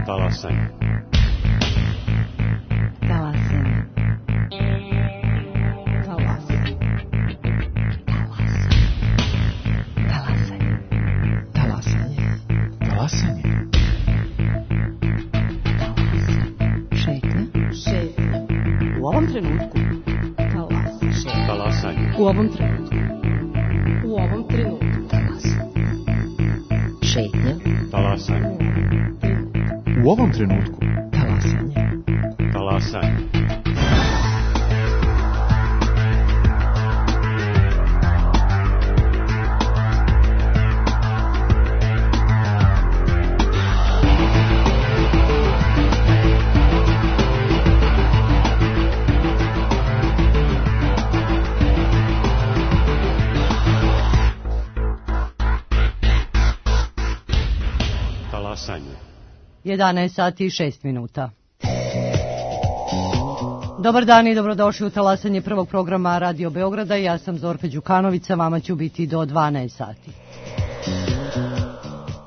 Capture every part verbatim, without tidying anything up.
Talasanje. Talasanje. Talasanje. Talasanje. Talasanje. Talasanje. Šetnja. Šetnja. U ovom trenutku. Talasanje. Talasanje. U ovom trenutku. U ovom trenutku. Talasanje. Šetnja. Talasanje. U ovom trenutku. Talasanje. Talasanje. Talasanje. jedanaest sati i šest minuta. Dobar dan i dobrodošli u talasanje prvog programa Radio Beograda. Ja sam Zorka Đukanović, sa vama ću biti do dvanaest sati.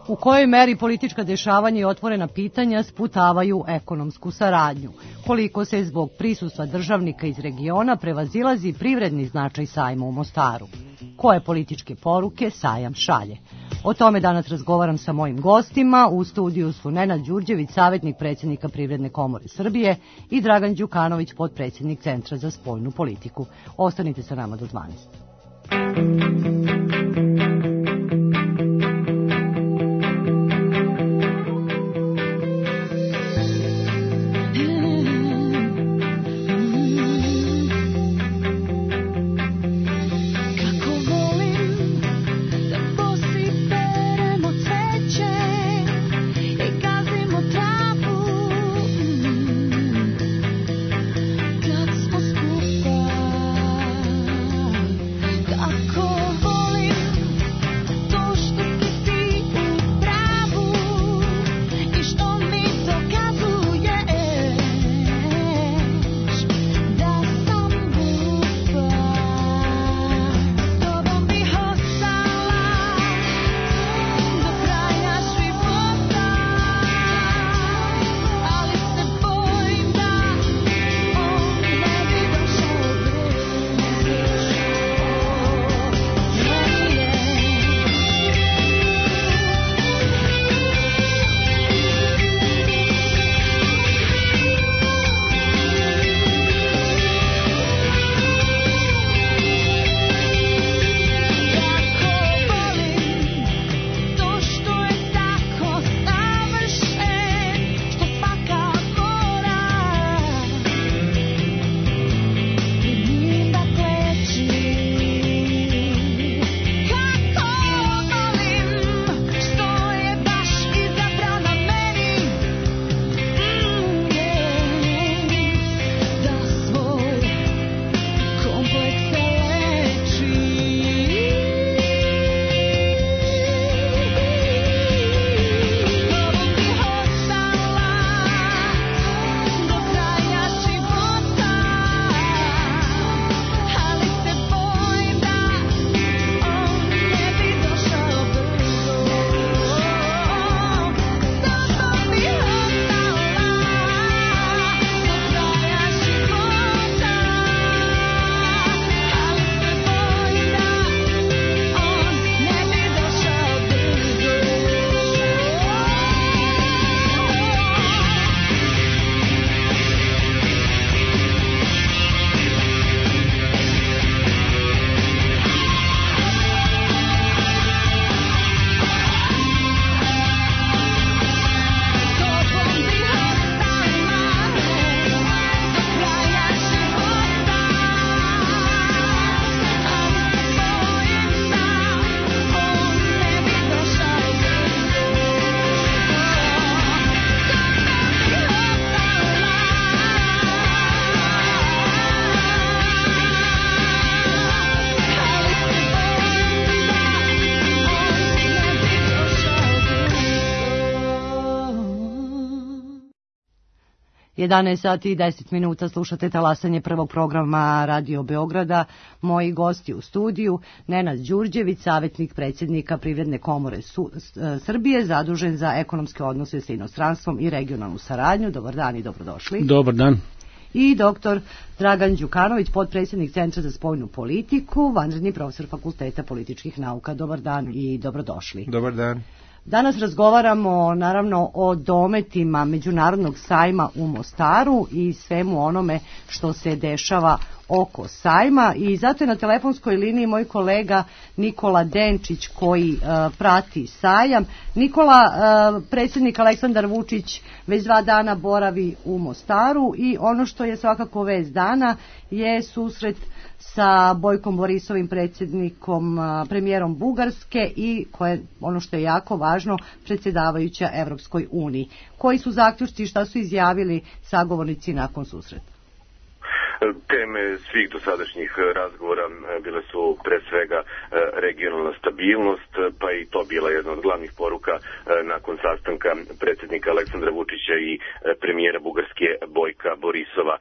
U kojoj meri politička dešavanja i otvorena pitanja sputavaju ekonomsku saradnju? Koliko se zbog prisustva državnika iz regiona prevazilazi privredni značaj sajma u Mostaru? Koje političke poruke sajam šalje? O tome danas razgovaram sa mojim gostima. U studiju su Nenad Đurđević, savjetnik predsjednika Privredne komore Srbije, i Dragan Đukanović, potpredsjednik Centra za spoljnu politiku. Ostanite sa nama do dvanaest. Kako jedanaest sati i deset minuta slušate talasanje prvog programa Radio Beograda. Moji gosti u studiju, Nenad Đurđević, savjetnik predsjednika Privredne komore Su- Srbije, zadužen za ekonomske odnose sa inostranstvom i regionalnu saradnju. Dobar dan i dobrodošli. Dobar dan. I doktor Dragan Đukanović, potpredsjednik Centra za spoljnu politiku, vanredni profesor Fakulteta političkih nauka. Dobar dan i dobrodošli. Dobar dan. Danas razgovaramo naravno o dometima Međunarodnog sajma u Mostaru i svemu onome što se dešava oko sajma, i zato je na telefonskoj liniji moj kolega Nikola Denčić koji uh, prati sajam. Nikola, uh, predsjednik Aleksandar Vučić već dva dana boravi u Mostaru i ono što je svakako vest dana je susret sa Bojkom Borisovim, predsjednikom, uh, premijerom Bugarske i koje, ono što je jako važno, predsjedavajuća Evropskoj uniji. Koji su zaključci i šta su izjavili sagovornici nakon susreta? Teme svih dosadašnjih razgovora bile su pre svega regionalna stabilnost, pa i to bila jedna od glavnih poruka nakon sastanka predsjednika Aleksandra Vučića i premijera Bugarske Bojka Borisova.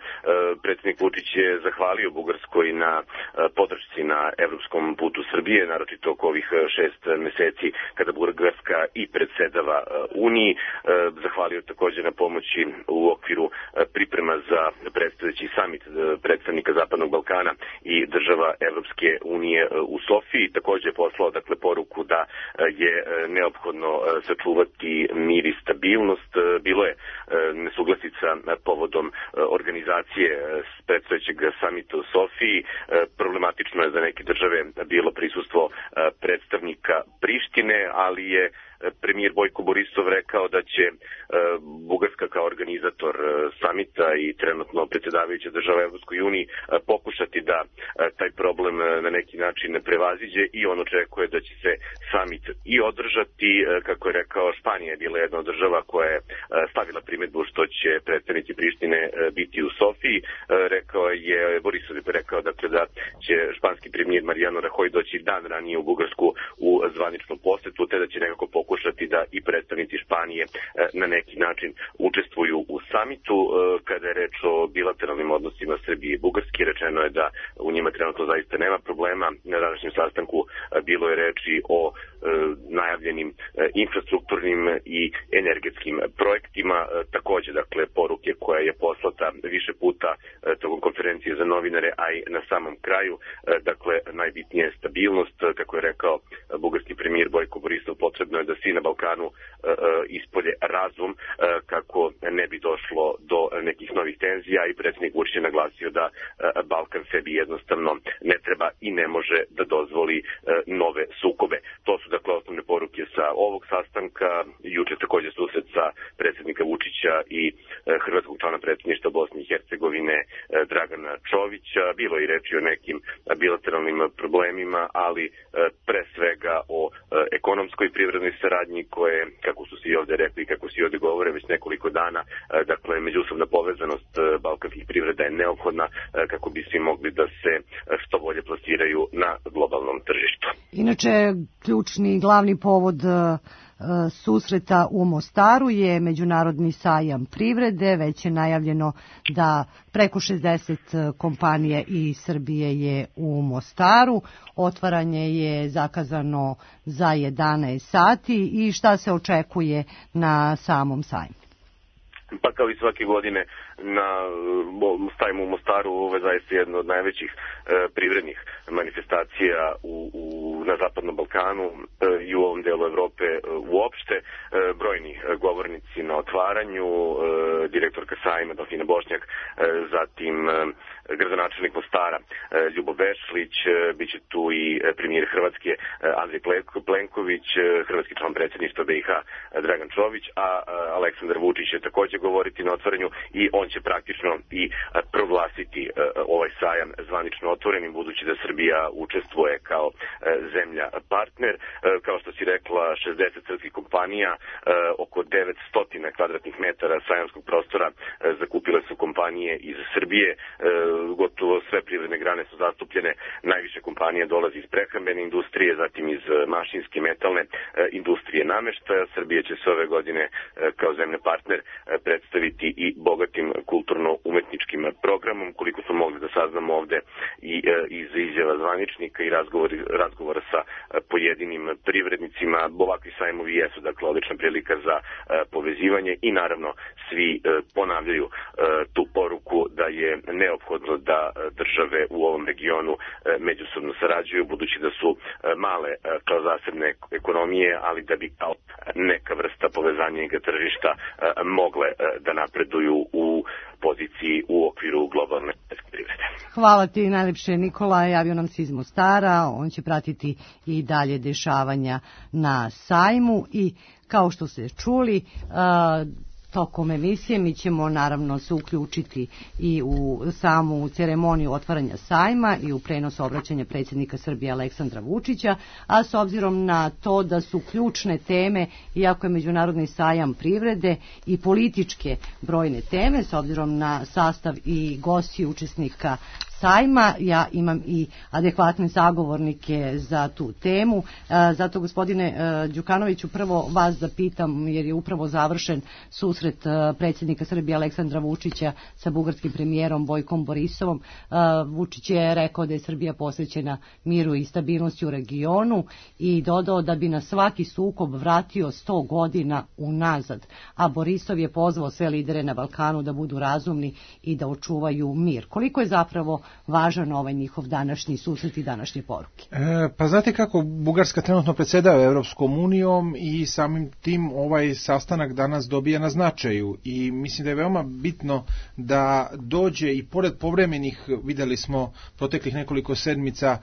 Predsjednik Vučić je zahvalio Bugarskoj na podršci na evropskom putu Srbije, naročito oko ovih šest meseci kada Bugarska i predsedava Uniji. Zahvalio također na pomoći u okviru priprema za predstojeći samit predstavnika Zapadnog Balkana i država Evropske unije u Sofiji. Također je poslao dakle poruku da je neophodno sačuvati mir i stabilnost. Bilo je nesuglasica povodom organizacije predstojećeg samita u Sofiji. Problematično je za neke države bilo prisustvo predstavnika Prištine, ali je premijer Bojko Borisov rekao da će Bugarska kao organizator samita i trenutno predsjedavajuća država Evropskoj uniji pokušati da taj problem na neki način prevaziđe, i on očekuje da će se samit i održati. Kako je rekao, Španija je bila jedna od država koja je stavila primjedbu što će predstavnici Prištine biti u Sofiji. Rekao je, Borisov je rekao dakle da će španski premijer Mariano Rajoy doći dan ranije u Bugarsku u zvaničnom posetu, te da će nekako pokušati da i predstavnici Španije na neki način učestvuju u samitu. Kada je reč o bilateralnim odnosima Srbije i Bugarske, rečeno je da u njima trenutno zaista nema problema. Na današnjem sastanku bilo je reči o najavljenim infrastrukturnim i energetskim projektima. Također, dakle, poruke koja je poslata više puta tokom konferencije za novinare, a i na samom kraju, dakle, najbitnije je stabilnost. Kako je rekao bugarski premijer Bojko Borisov, potrebno je da svi na Balkanu ispolje razum kako ne bi došlo do nekih novih tenzija, i predsjednik Vučić je naglasio da Balkan sebi jednostavno ne treba i ne može da dozvoli nove sukobe. To su dakle osnovne poruke sa ovog sastanka. Juče također susret sa predsjednika Vučića i hrvatskog člana predsjedništva Bosne i Hercegovine Dragana Čovića. Bilo je i reči o nekim bilateralnim problemima, ali pre svega o ekonomskoj i privrednoj saradnji koje, kako su se i ovdje rekli i kako se i ovdje govore već nekoliko dana, dakle međusobna povezanost balkanskih privreda je neophodna kako bi svi mogli da se što bolje plasiraju na globalnom tržištu. Inače, ključni glavni povod susreta u Mostaru je Međunarodni sajam privrede. Već je najavljeno da preko šezdeset kompanije iz Srbije je u Mostaru. Otvaranje je zakazano za jedanaest sati. I šta se očekuje na samom sajmu? Pa kao i svake godine na sajmu u Mostaru, ovo je zaista jedno od najvećih e, privrednih manifestacija u, u, na Zapadnom Balkanu e, i u ovom delu Evrope e, uopšte. E, brojni govornici na otvaranju, e, direktorka sajma Delfina Bošnjak, e, zatim e, gradonačelnik Mostara e, Ljubo Bešlić, e, bit će tu i premijer Hrvatske e, Andrej Plenković, e, hrvatski član predsjedništva B i H Dragan Čović, a e, Aleksandar Vučić će također govoriti na otvaranju, i on će praktično i proglasiti ovaj sajam zvanično otvorenim, budući da Srbija učestvuje kao zemlja zemlja partner. Kao što si rekla, šezdeset srpskih kompanija, oko devetsto kvadratnih metara sajamskog prostora zakupile su kompanije iz Srbije. Gotovo sve privredne grane su zastupljene. Najviše kompanija dolazi iz prehrambene industrije, zatim iz mašinske, metalne industrije, nameštaja. Srbija će se ove godine kao zemlja partner predstaviti i bogatim kulturno-umetničkim programom. Koliko smo mogli da saznamo ovde i iz izjava zvaničnika i razgovora, razgovora sa pojedinim privrednicima, ovakvi sajmovi jesu dakle odlična prilika za povezivanje i naravno svi ponavljaju tu poruku da je neophodno da države u ovom regionu međusobno sarađuju, budući da su male kao zasebne ekonomije, ali da bi kao neka vrsta povezanja tržišta mogle da napreduju u poziciji u okviru globalne privrede. Hvala ti najlepše, Nikola. Javio nam se iz Mostara, on će pratiti i dalje dešavanja na sajmu i kao što ste čuli, tokom emisije mi ćemo naravno se uključiti i u samu ceremoniju otvaranja sajma i u prenos obraćanja predsjednika Srbije Aleksandra Vučića, a s obzirom na to da su ključne teme, iako je Međunarodni sajam privrede, i političke brojne teme, s obzirom na sastav i gosti učesnika sajma, ja imam i adekvatne sagovornike za tu temu. Zato, gospodine Đukanoviću, prvo vas da pitam, jer je upravo završen susret predsjednika Srbije Aleksandra Vučića sa bugarskim premijerom Bojkom Borisovom. Vučić je rekao da je Srbija posvećena miru i stabilnosti u regionu i dodao da bi na svaki sukob vratio sto godina unazad, a Borisov je pozvao sve lidere na Balkanu da budu razumni i da očuvaju mir. Koliko je zapravo važan ovaj njihov današnji susret i današnje poruke? E, pa znate kako, Bugarska trenutno predsjedava Evropskom unijom i samim tim ovaj sastanak danas dobija na značaju i mislim da je veoma bitno da dođe i pored povremenih, videli smo proteklih nekoliko sedmica,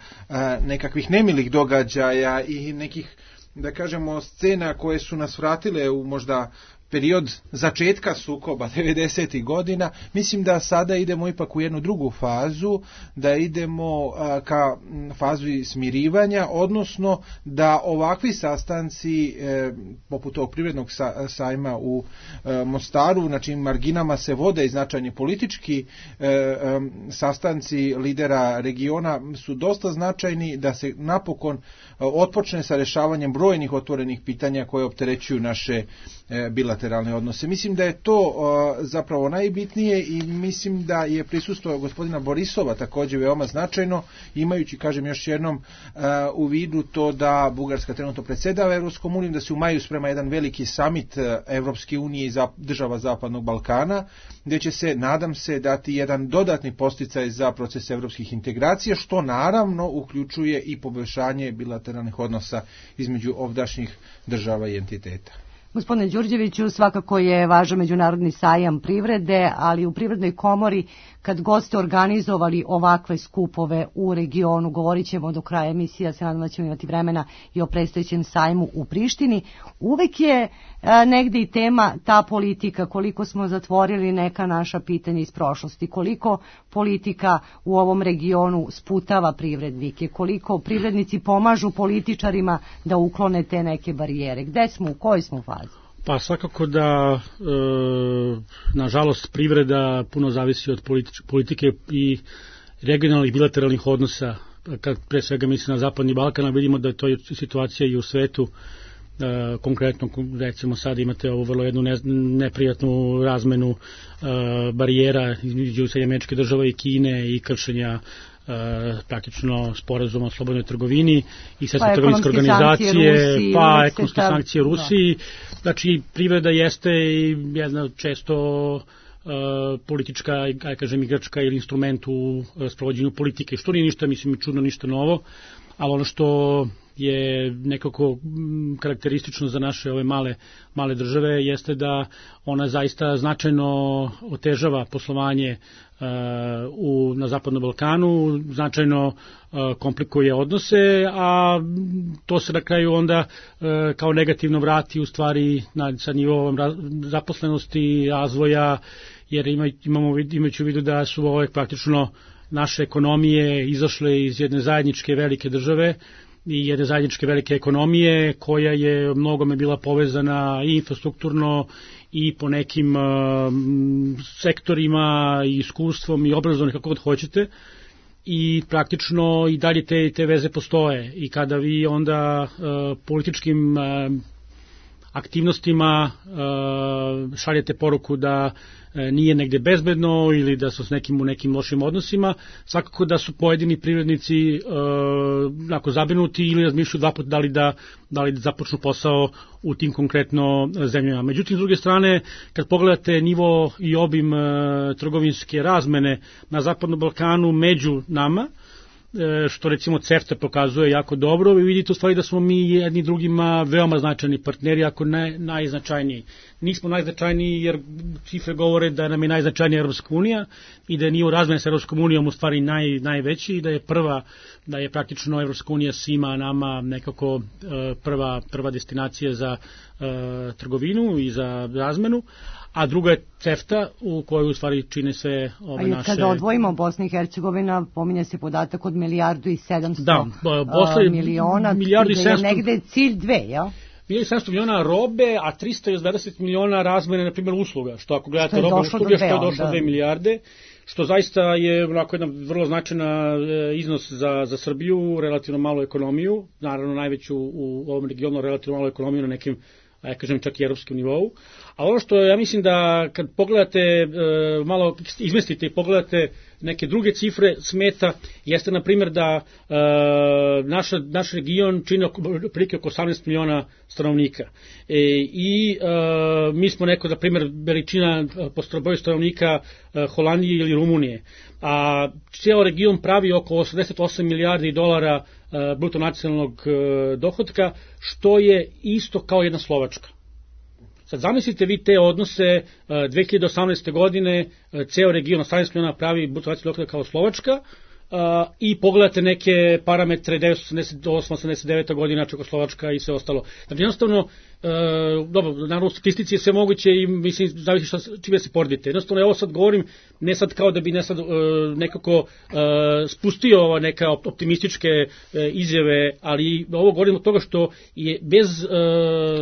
nekakvih nemilih događaja i nekih, da kažemo, scena koje su nas vratile u možda period začetka sukoba devedesetih godina, mislim da sada idemo ipak u jednu drugu fazu, da idemo a, ka fazi smirivanja, odnosno da ovakvi sastanci e, poput ovog privrednog sa, sajma u e, Mostaru, na čim marginama se vode i značajni politički e, e, sastanci lidera regiona su dosta značajni, da se napokon e, otpočne sa rešavanjem brojnih otvorenih pitanja koje opterećuju naše e, bilateralne odnose. Mislim da je to uh, zapravo najbitnije i mislim da je prisustvo gospodina Borisova također veoma značajno, imajući, kažem još jednom, uh, u vidu to da Bugarska trenutno predsjedava Evropskom unijom, da se u maju sprema jedan veliki samit uh, Evropske unije i za, država Zapadnog Balkana, gdje će se, nadam se, dati jedan dodatni podsticaj za proces evropskih integracija, što naravno uključuje i poboljšanje bilateralnih odnosa između ovdašnjih država i entiteta. Gospodine Đurđeviću, svakako je važan Međunarodni sajam privrede, ali u Privrednoj komori kad god ste organizovali ovakve skupove u regionu, govorit ćemo do kraja emisija, se nadam da ćemo imati vremena i o predstojećem sajmu u Prištini, uvek je a, negde i tema ta politika, koliko smo zatvorili neka naša pitanja iz prošlosti, koliko politika u ovom regionu sputava privrednike, koliko privrednici pomažu političarima da uklone te neke barijere. Gde smo, u kojoj smo fazi? Pa svakako da, e, nažalost, privreda puno zavisi od politič, politike i regionalnih bilateralnih odnosa. Kad pre svega mislim na Zapadni Balkan, vidimo da je to situacija i u svetu. E, konkretno, recimo sad imate ovu vrlo jednu ne, neprijatnu razmenu e, barijera između Sjedinjenih Američkih Država i Kine i kršenja Uh, praktično sporazuma o slobodnoj trgovini i Svjetske pa, trgovinske organizacije, Rusiji, pa ekonomske ta... sankcije Rusiji. Da. Znači, privreda jeste jedna često uh, politička, aj kažem, igračka ili instrument u uh, sprovođenju politike, što nije ništa, mislim, čudno, ništa novo, ali ono što je nekako karakteristično za naše ove male, male države jeste da ona zaista značajno otežava poslovanje uh, u, na Zapadnom Balkanu, značajno uh, komplikuje odnose, a to se na kraju onda uh, kao negativno vrati u stvari na, sa nivoom zaposlenosti, razvoja, jer ima, imamo, imajući u vidu da su ove praktično naše ekonomije izašle iz jedne zajedničke velike države i jedne zajedničke velike ekonomije koja je mnogome bila povezana i infrastrukturno i po nekim uh, sektorima i iskustvom i obrazovnim, kako god hoćete, i praktično i dalje te, te veze postoje. I kada vi onda uh, političkim uh, aktivnostima uh, šaljete poruku da nije negde bezbedno ili da su s nekim u nekim lošim odnosima, svakako da su pojedini privrednici e, ako zabrinuti ili razmišljaju dva puta da li da, da li da započnu posao u tim konkretno zemljama. Međutim, s druge strane, kad pogledate nivo i obim e, trgovinske razmene na Zapadnom Balkanu među nama, što recimo CEFTA pokazuje jako dobro, vi vidite u stvari da smo mi jedni drugima veoma značajni partneri, ako ne najznačajniji. Nismo najznačajniji jer cifre govore da nam je najznačajnija Evropska unija i da je nivo razmene sa Evropskom unijom u stvari naj, najveći i da je prva, da je praktično Evropska unija svima nama nekako prva, prva destinacija za uh, trgovinu i za razmenu, a druga je CEFTA u kojoj u stvari čine sve ove naše... A kada odvojimo Bosna i Hercegovina, pominje se podatak od milijardu i sedamsto da, Bosna, miliona, milijardu i sedamsto, je negde cilj dve, jel? Milijardu i sedamsto miliona robe, a trista dvadeset miliona razmene, na primjer, usluga, što ako gledate robe usluge, što je došlo do dve milijarde, što zaista je onako jedna vrlo značajna iznos za, za Srbiju, relativno malu ekonomiju, naravno najveću u ovom regionu, relativno malu ekonomiju na nekim, ja kažem, čak i evropskom nivou. A ono što ja mislim da kad pogledate, malo izmestite i pogledate neke druge cifre smeta, jeste na primjer da naša, naš region čini prilike oko osamnaest miliona stanovnika. E, I e, mi smo neko, na primjer, veličina po broju stanovnika Holandije ili Rumunije. A cijel region pravi oko osamdeset osam milijardi dolara bruto nacionalnog dohotka, što je isto kao jedna Slovačka. Sad zamislite vi te odnose, dve hiljade osamnaeste. godine ceo region osamnaest miliona pravi bruto nacionalnog dohotka kao Slovačka, Uh, i pogledate neke parametre devetsto osamdeset osam osamdeset deveta. godina Čekoslovačka i sve ostalo. Znači jednostavno, uh, dobro, naravno u statistici je sve moguće i mislim zavisi šta, čime se poredite. Jednostavno ja ovo sad govorim ne sad kao da bi ne sad uh, nekako uh, spustio neka optimističke uh, izjave, ali ovo govorim od toga što je bez uh,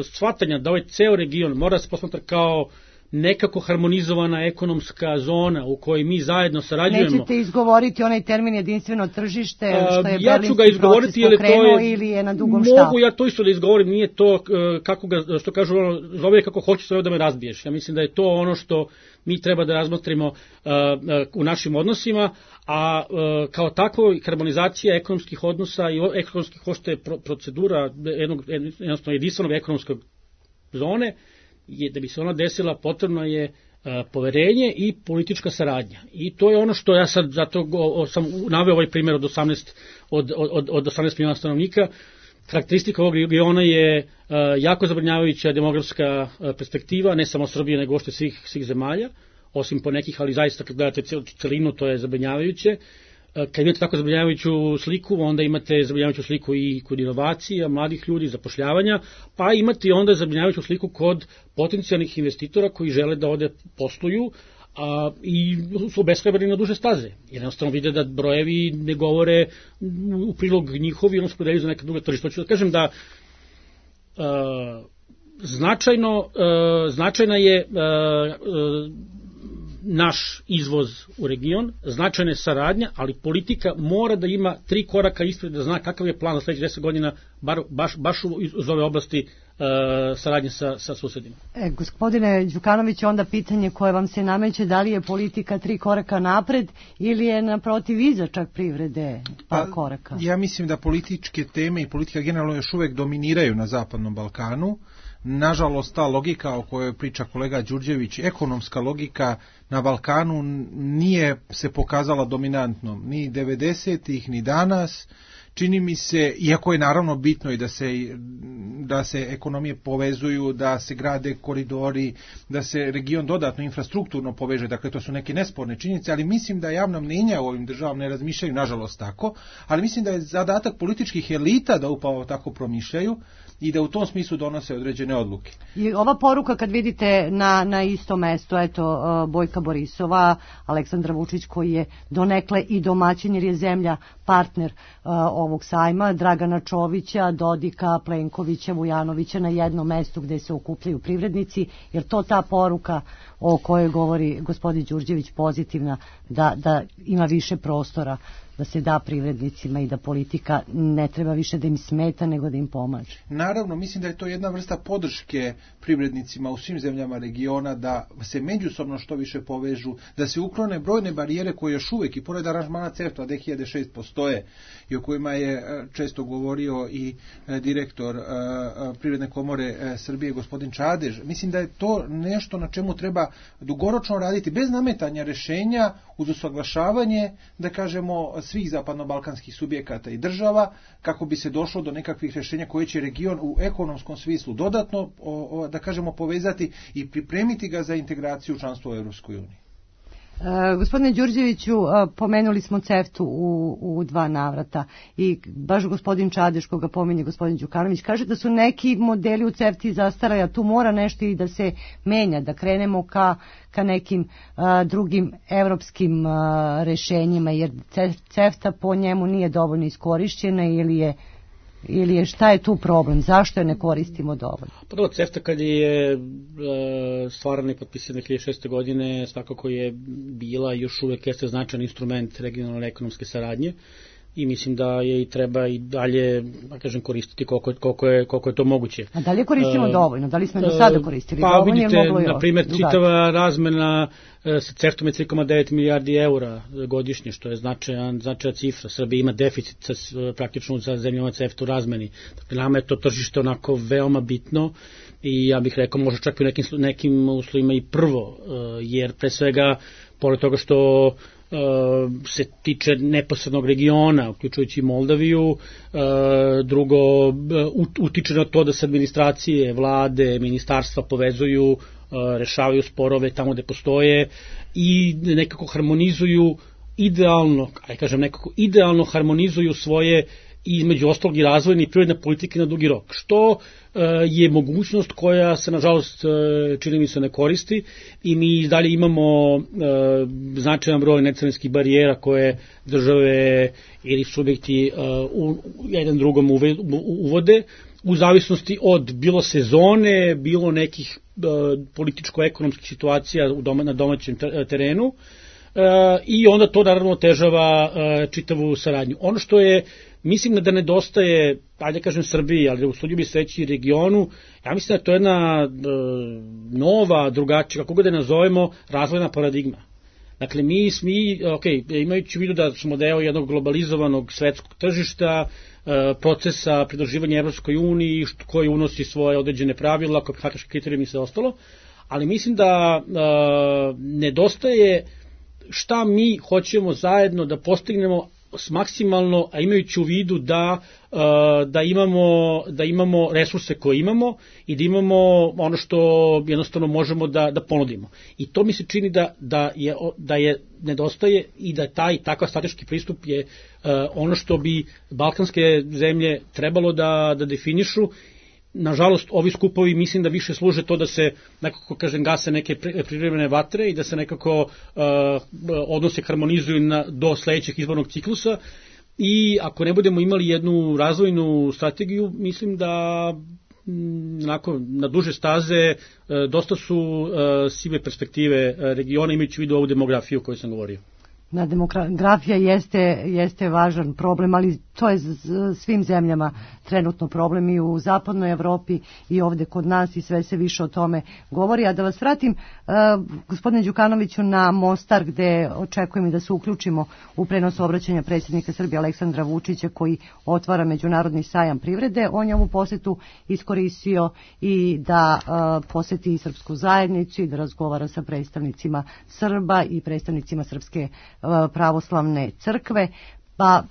shvatanja da ovaj ceo region mora se posmatra kao nekako harmonizovana ekonomska zona u kojoj mi zajedno sarađujemo. Nećete izgovoriti onaj termin jedinstveno tržište, što je ja berlinski proces pokrenuo ili je na dugom štapu? Mogu ja to isto da izgovorim, nije to kako ga, što kažu, ono, zove kako hoćeš sve da me razbiješ. Ja mislim da je to ono što mi treba da razmotrimo uh, uh, u našim odnosima, a uh, kao tako harmonizacija ekonomskih odnosa i ekonomskih hošte procedura jednog, jednostavno jedinstvenog ekonomskog zone, je, da bi se ona desila, potrebno je uh, poverenje i politička saradnja. I to je ono što ja sad, zato go, o, sam naveo ovaj primjer od osamnaest, od, od, od osamnaest miliona stanovnika. Karakteristika ovog regiona je uh, jako zabrinjavajuća demografska uh, perspektiva, ne samo Srbije, nego ošte svih, svih zemalja, osim po nekih, ali zaista kad gledate celinu, to je zabrinjavajuće. Kad imate tako zabrinjavajuću sliku, onda imate zabrinjavajuću sliku i kod inovacija, mladih ljudi, zapošljavanja, pa imate onda zabrinjavajuću sliku kod potencijalnih investitora koji žele da ovde posluju a, i su obeshrabreni na duže staze. Jer jednostavno vide da brojevi ne govore u prilog njihovi, ono se podelju za neka druga tržišta. Hoću da kažem da a, značajno, a, značajna je a, a, naš izvoz u region, značajna je saradnja, ali politika mora da ima tri koraka ispred, da zna kakav je plan za sledećih deset godina, bar, baš, baš uz ove oblasti uh, saradnje sa, sa susedima. E, gospodine Đukanović, onda pitanje koje vam se nameće, da li je politika tri koraka napred ili je naprotiv iza čak privrede pa, pa koraka? Ja mislim da političke teme i politika generalno još uvek dominiraju na Zapadnom Balkanu. Nažalost, ta logika o kojoj priča kolega Đurđević, ekonomska logika na Balkanu nije se pokazala dominantnom ni devedesetih ni danas. Čini mi se, iako je naravno bitno i da se, da se ekonomije povezuju, da se grade koridori, da se region dodatno infrastrukturno poveže, dakle to su neke nesporne činjenice, ali mislim da javna mnjenja u ovim državama ne razmišljaju nažalost tako, ali mislim da je zadatak političkih elita da upravo tako promišljaju i da u tom smislu donose određene odluke. I ova poruka kad vidite na, na isto mesto, eto, Bojka Borisova, Aleksandra Vučić koji je donekle i domaćin jer je zemlja partner uh, ovog sajma, Dragana Čovića, Dodika, Plenkovića, Vujanovića na jednom mestu gde se okupljaju privrednici, jer to ta poruka o kojoj govori gospodin Đurđević pozitivna, da, da ima više prostora da se da privrednicima i da politika ne treba više da im smeta nego da im pomaže. Naravno, mislim da je to jedna vrsta podrške privrednicima u svim zemljama regiona, da se međusobno što više povežu, da se uklone brojne barijere koje još uvek i pored aranžmana CEFTA dve hiljade šest postoje i o kojima je često govorio i direktor Privredne komore Srbije gospodin Čadež. Mislim da je to nešto na čemu treba dugoročno raditi bez nametanja rešenja, uz usaglašavanje, da kažemo, svih zapadno-balkanskih subjekata i država, kako bi se došlo do nekakvih rješenja koje će region u ekonomskom smislu dodatno, o, o, da kažemo, povezati i pripremiti ga za integraciju članstva u Europskoj uniji. E, gospodine Đurđeviću, pomenuli smo CEFTA u, u dva navrata i baš gospodin Čadež, koga pominje gospodin Đukanović, kaže da su neki modeli u CEFTA zastarali, a tu mora nešto i da se menja, da krenemo ka, ka nekim a, drugim evropskim a, rešenjima, jer CEFTA po njemu nije dovoljno iskorišćena ili je ili je, šta je tu problem? Zašto je ne koristimo dovoljno? Pa dobro, CEFTA kad je e, stvarana i potpisana dve hiljade šeste. godine, svakako je bila i još uvek jeste značajan instrument regionalne ekonomske saradnje i mislim da je i treba i dalje, da kažem, koristiti koliko, koliko, je, koliko je to moguće. A da li koristimo uh, dovoljno? Da li smo do sada koristili pa, dovoljno? Pa vidite, moglo na primjer, čitava razmena uh, sa CEFTA-om je tri zarez devet milijardi eura godišnje, što je značajan, značajan cifra. Srbija ima deficit sa, praktično sa zemljama CEFTA u razmeni. Dakle, nama je to tržište onako veoma bitno i ja bih rekao možda čak i u nekim, nekim uslovima i prvo, uh, jer pre svega, pored toga što se tiče neposrednog regiona, uključujući Moldaviju, drugo, utiče na to da se administracije, vlade, ministarstva povezuju, rešavaju sporove tamo gde postoje i nekako harmonizuju idealno, aj kažem nekako idealno harmonizuju svoje i između ostalog i razvojne i privredne politike na dugi rok, što je mogućnost koja se nažalost čini mi se ne koristi i mi dalje imamo značajan broj necarinskih barijera koje države ili subjekti u jedan drugom uvode u zavisnosti od bilo sezone, bilo nekih političko-ekonomskih situacija na domaćem terenu i onda to naravno otežava čitavu saradnju. Ono što je, mislim da nedostaje, ajde kažem Srbiji, ali usudio bi se reći regionu, ja mislim da to je jedna e, nova, drugačija, kako ga da nazovemo, razvojna paradigma. Dakle, mi, mi ok, imajući u vidu da smo deo jednog globalizovanog svetskog tržišta, e, procesa pridruživanja Evropskoj uniji, koji unosi svoje određene pravila, kopenhaške kriterijumi i sve ostalo, ali mislim da e, nedostaje šta mi hoćemo zajedno da postignemo s maksimalno, a imajući u vidu da, da, imamo, da imamo resurse koje imamo i da imamo ono što jednostavno možemo da, da ponudimo. I to mi se čini da, da, je, da je nedostaje i da taj takav strateški pristup je ono što bi balkanske zemlje trebalo da, da definišu. Nažalost, ovi skupovi mislim da više služe to da se nekako, kažem, gase neke privremene vatre i da se nekako uh, odnose harmonizuju na, do sledećeg izbornog ciklusa i ako ne budemo imali jednu razvojnu strategiju, mislim da m, onako, na duže staze uh, dosta su uh, sive perspektive regiona imajući u vidu ovu demografiju o kojoj sam govorio. Na demografija jeste, jeste važan problem, ali to je svim zemljama trenutno problem i u zapadnoj Evropi i ovde kod nas i sve se više o tome govori. A da vas vratim, uh, gospodine Đukanoviću, na Mostar gde očekujem i da se uključimo u prenos obraćanja predsjednika Srbije Aleksandra Vučića koji otvara Međunarodni sajam privrede. On je ovu posetu iskoristio i da uh, poseti i srpsku zajednicu i da razgovara sa predstavnicima Srba i predstavnicima Srpske pravoslavne crkve, pa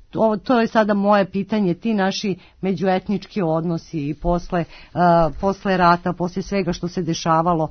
to, to je sada moje pitanje, ti naši međuetnički odnosi i posle, posle rata, posle svega što se dešavalo,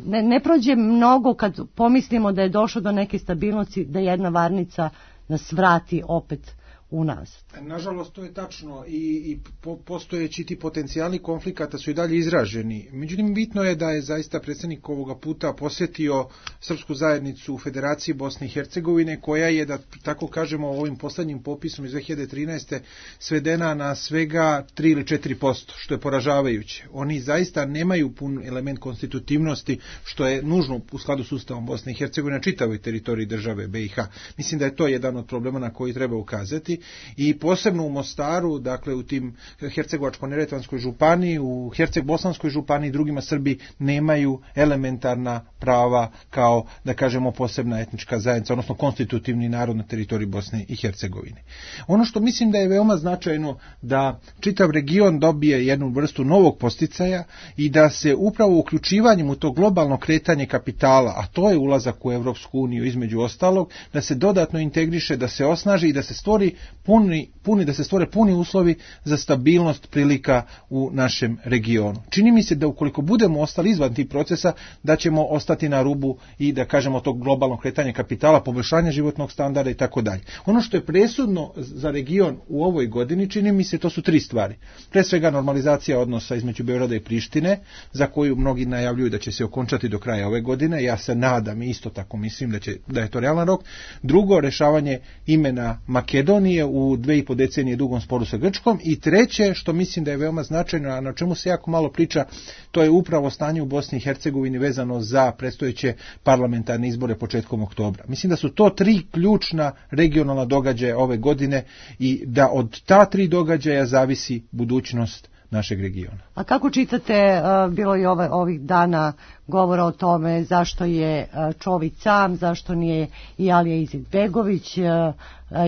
ne, ne prođe mnogo kad pomislimo da je došlo do neke stabilnosti, da jedna varnica nas vrati opet unazad. Nažalost, to je tačno i, i po, postojeći ti potencijali konflikata su i dalje izraženi. Međutim, bitno je da je zaista predsjednik ovoga puta posjetio srpsku zajednicu u Federaciji Bosne i Hercegovine, koja je, da tako kažemo, ovim posljednjim popisom iz dve hiljade trinaeste svedena na svega tri ili četiri posto, što je poražavajuće. Oni zaista nemaju pun element konstitutivnosti, što je nužno u skladu s Ustavom Bosne i Hercegovine na čitavoj teritoriji države B i H. Mislim da je to jedan od problema na koji treba ukazati. I posebno u Mostaru, dakle u tim Hercegovačko-neretvanskoj županiji, u Herceg-Bosanskoj županiji i drugima Srbi nemaju elementarna prava kao, da kažemo, posebna etnička zajednica, odnosno konstitutivni narod na teritoriji Bosne i Hercegovine. Ono što mislim da je veoma značajno da čitav region dobije jednu vrstu novog posticaja i da se upravo uključivanjem u to globalno kretanje kapitala, a to je ulazak u Evropsku uniju između ostalog, da se dodatno integriše, da se osnaži i da se stvori puni, puni, da se stvore puni uslovi za stabilnost prilika u našem regionu. Čini mi se da ukoliko budemo ostali izvan tih procesa, da ćemo ostati na rubu i, da kažemo, tog globalnog kretanja kapitala, poboljšanja životnog standarda i tako dalje. Ono što je presudno za region u ovoj godini, čini mi se, to su tri stvari. Pre svega normalizacija odnosa između Beograda i Prištine, za koju mnogi najavljuju da će se okončati do kraja ove godine. Ja se nadam i isto tako mislim da će, da je to realan rok. Drugo, rešavanje imena Makedonije u dve i po decenije dugom sporu sa Grčkom. I treće, što mislim da je veoma značajno, a na čemu se jako malo priča, to je upravo stanje u Bosni i Hercegovini vezano za predstojeće parlamentarne izbore početkom oktobra. Mislim da su to tri ključna regionalna događaja ove godine i da od ta tri događaja zavisi budućnost našeg regiona. A kako čitate, bilo je ove, ovih dana govora o tome zašto je Čović sam, zašto nije i Alija Izetbegović?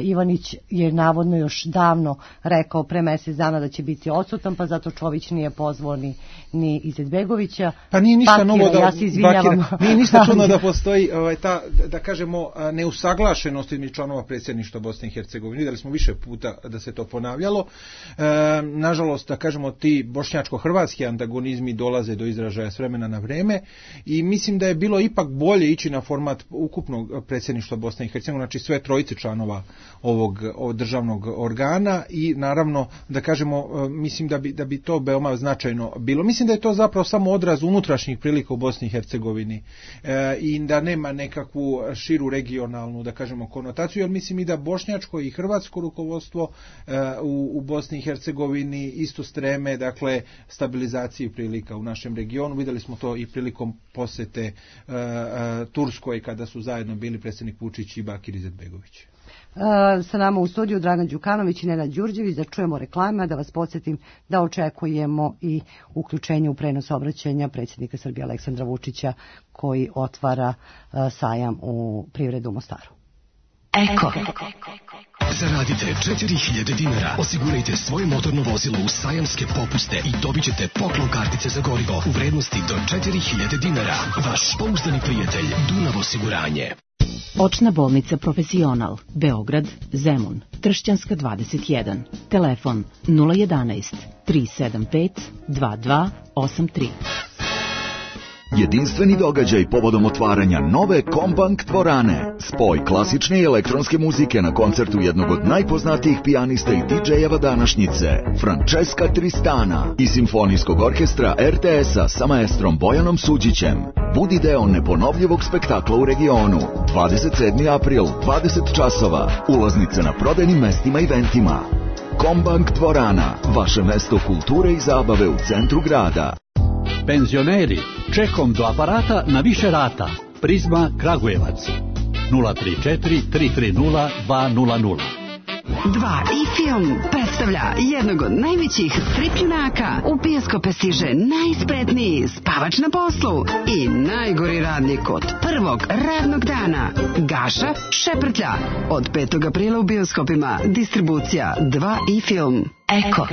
Ivanić je navodno još davno rekao pre mjesec dana da će biti odsutan, pa zato Čović nije pozvao ni, ni Izetbegovića. Pa nije ništa Bakira, novo da, ja se izvinjavam. Bakira, nije ništa čudno da postoji ovaj, ta, da kažemo, neusaglašenost između članova predsjedništva Bosne i Hercegovine. Vidjeli smo više puta da se to ponavljalo. E, nažalost, da kažemo, ti bošnjačko-hrvatski antagonizmi dolaze do izražaja s vremena na vreme i mislim da je bilo ipak bolje ići na format ukupnog predsjedništva Bosne i Hercegovine, znači sve trojice članova ovog, ovog državnog organa i naravno, da kažemo, mislim da bi, da bi to veoma značajno bilo. Mislim da je to zapravo samo odraz unutrašnjih prilika u Bosni i Hercegovini e, i da nema nekakvu širu regionalnu, da kažemo, konotaciju, jer mislim i da bošnjačko i hrvatsko rukovodstvo e, u, u Bosni i Hercegovini isto streme, dakle, stabilizaciji prilika u našem regionu. Vidjeli smo to i prilikom posete e, e, Turskoj, kada su zajedno bili predsjednik Vučić i Bakir Izetbegović. Sa nama u studiju Dragan Đukanović i Nenad Đurđević, da čujemo reklame, da vas podsjetim da očekujemo i uključenje u prenos obraćanja predsjednika Srbije Aleksandra Vučića, koji otvara sajam u Privredu u Mostaru. Eko. Zaradite četiri hiljade dinara, osigurajte svoje motorno vozilo u sajamske popuste i dobit ćete poklon kartice za gorivo u vrednosti do četiri hiljade dinara. Vaš pouzdani prijatelj Dunav osiguranje. Očna bolnica Profesional, Beograd, Zemun, Tršćanska dvadeset jedan, telefon nula jedanaest tri sedam pet dva dva osam tri. Jedinstveni događaj povodom otvaranja nove Kombank dvorane. Spoj klasične i elektronske muzike na koncertu jednog od najpoznatijih pijanista i didžejeva današnjice, Francesca Tristana, i simfonijskog orkestra er te es-a sa maestrom Bojanom Suđićem. Budi deo neponovljivog spektakla u regionu. dvadeset sedmi april, dvadeset časova. Ulaznice na prodajnim mestima i eventima. Kombank dvorana, vaše mesto kulture i zabave u centru grada. Penzioneri, čekom do aparata na više rata. Prizma Kragujevac. nula tri četiri tri tri nula dva nula nula. dva i film predstavlja jednog od najvećih strip junaka. U bioskope stiže najspretniji spavač na poslu i najgori radnik od prvog radnog dana. Gaša Šeprtlja. Od petog aprila u bioskopima. Distribucija dva i film. Eko.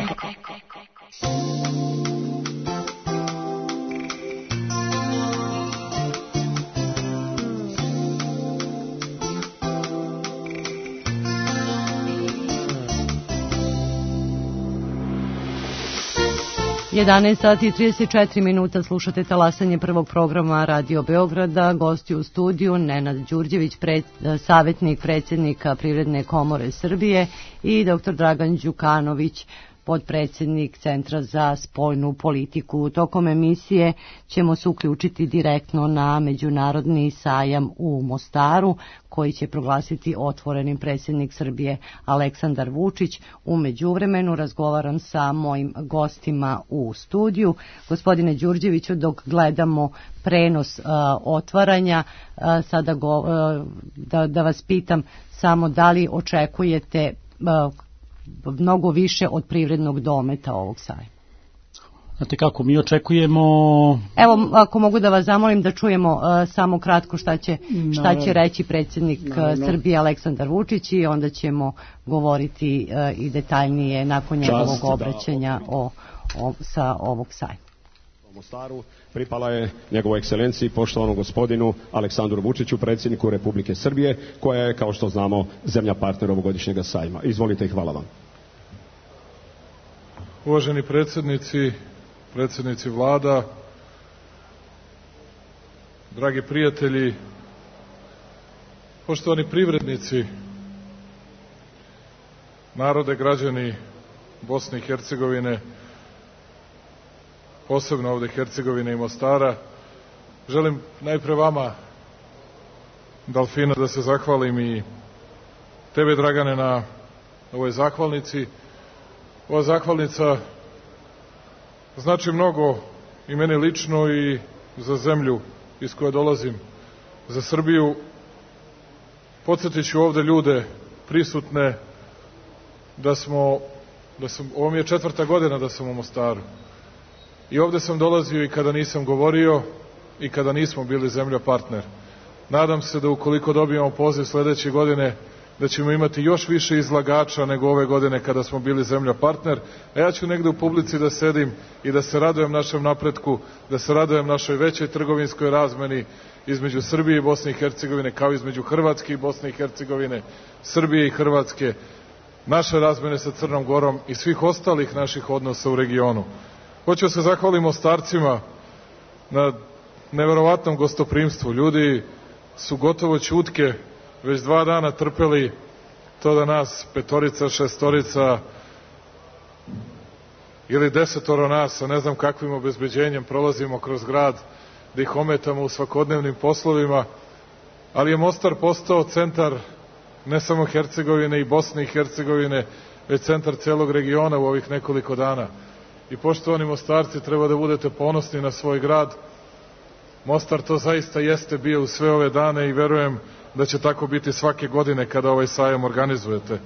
jedanaest sati i trideset četiri minuta, slušate talasanje prvog programa Radio Beograda. Gosti u studiju Nenad Đurđević, pred, savjetnik predsjednika Privredne komore Srbije, i doktor Dragan Đukanović, podpredsjednik Centra za spoljnu politiku. Tokom emisije ćemo se uključiti direktno na međunarodni sajam u Mostaru, koji će proglasiti otvorenim predsjednik Srbije Aleksandar Vučić. U međuvremenu razgovaram sa mojim gostima u studiju. Gospodine Đurđeviću, dok gledamo prenos uh, otvaranja, uh, sada go, uh, da, da vas pitam samo da li očekujete uh, mnogo više od privrednog dometa ovog sajma? Znate kako, mi očekujemo... Evo, ako mogu da vas zamolim da čujemo uh, samo kratko šta će, šta će reći predsjednik uh, Srbije Aleksandar Vučić, i onda ćemo govoriti uh, i detaljnije nakon njegovog obraćanja o, o, sa ovog sajma. U Mostaru pripala je njegovoj ekscelenciji poštovanom gospodinu Aleksandru Vučiću, predsjedniku Republike Srbije, koja je, kao što znamo, zemlja partner ovogodišnjega sajma. Izvolite i hvala vam. Uvaženi predsjednici, predsjednici vlada, dragi prijatelji, poštovani privrednici, narode, građani Bosne i Hercegovine, posebno ovde Hercegovine i Mostara, želim najpre vama, Dalfina, da se zahvalim, i tebe, Dragane, na ovoj zahvalnici. Ova zahvalnica znači mnogo i meni lično i za zemlju iz koje dolazim, za Srbiju. Podsjetit ću ovde ljude prisutne da smo, da sam, ovo mi je četvrta godina da sam u Mostaru. I ovde sam dolazio i kada nisam govorio i kada nismo bili zemlja partner. Nadam se da ukoliko dobijemo poziv sledeće godine, da ćemo imati još više izlagača nego ove godine kada smo bili zemlja partner, a ja ću negde u publici da sedim i da se radujem našem napretku, da se radujem našoj većoj trgovinskoj razmeni između Srbije i Bosne i Hercegovine, kao između Hrvatske i Bosne i Hercegovine, Srbije i Hrvatske, naše razmene sa Crnom Gorom i svih ostalih naših odnosa u regionu. Hoću se zahvaliti Mostarcima na neverovatnom gostoprimstvu. Ljudi su gotovo ćutke već dva dana trpeli to da nas petorica, šestorica ili desetoro nas, sa ne znam kakvim obezbeđenjem prolazimo kroz grad, da ih ometamo u svakodnevnim poslovima, ali je Mostar postao centar ne samo Hercegovine i Bosne i Hercegovine, već centar celog regiona u ovih nekoliko dana. I poštovani Mostarci, treba da budete ponosni na svoj grad. Mostar to zaista jeste bio u sve ove dane i verujem da će tako biti svake godine kada ovaj sajam organizujete.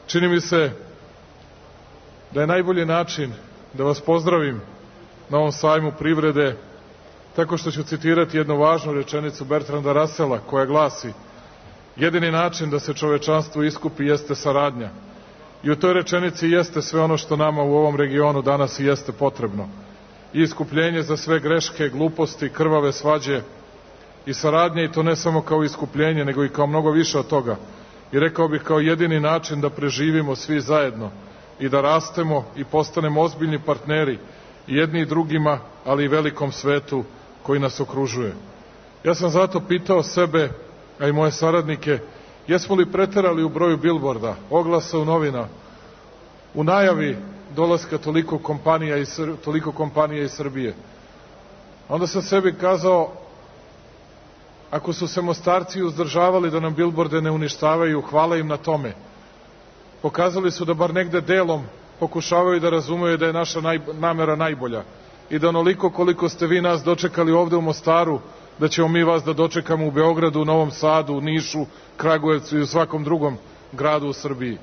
Čini mi se da je najbolji način da vas pozdravim na ovom sajmu privrede tako što ću citirati jednu važnu rečenicu Bertranda Russella, koja glasi: jedini način da se čovečanstvo iskupi jeste saradnja. I u toj rečenici jeste sve ono što nama u ovom regionu danas i jeste potrebno. I iskupljenje za sve greške, gluposti, krvave svađe, i saradnje, i to ne samo kao iskupljenje, nego i kao mnogo više od toga. I rekao bih kao jedini način da preživimo svi zajedno i da rastemo i postanemo ozbiljni partneri i jedni i drugima, ali i velikom svetu koji nas okružuje. Ja sam zato pitao sebe, a i moje saradnike, jesmo li preterali u broju bilborda, oglasa u novina, u najavi dolaska toliko kompanija iz, toliko kompanija iz Srbije. Onda sam sebi kazao, ako su se Mostarci uzdržavali da nam bilborde ne uništavaju, hvala im na tome. Pokazali su da bar negde delom pokušavaju da razumeju da je naša naj, namera najbolja i da onoliko koliko ste vi nas dočekali ovde u Mostaru, da ćemo mi vas da dočekamo u Beogradu, u Novom Sadu, u Nišu, Kragujevcu i u svakom drugom gradu u Srbiji.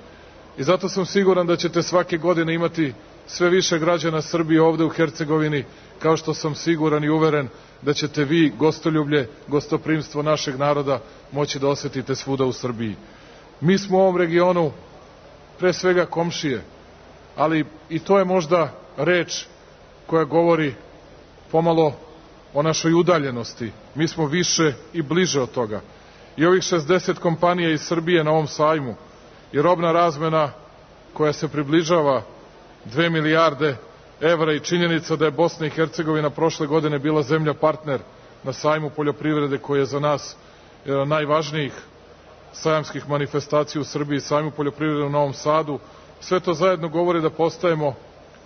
I zato sam siguran da ćete svake godine imati sve više građana Srbije ovde u Hercegovini, kao što sam siguran i uveren da ćete vi gostoljublje, gostoprimstvo našeg naroda moći da osetite svuda u Srbiji. Mi smo u ovom regionu pre svega komšije, ali i to je možda reč koja govori pomalo o našoj udaljenosti. Mi smo više i bliže od toga. I ovih šezdeset kompanija iz Srbije na ovom sajmu i robna razmena koja se približava dve milijarde evra i činjenica da je Bosna i Hercegovina prošle godine bila zemlja partner na sajmu poljoprivrede koji je za nas jedan najvažnijih sajamskih manifestacija u Srbiji, sajmu poljoprivrede u Novom Sadu. Sve to zajedno govori da postajemo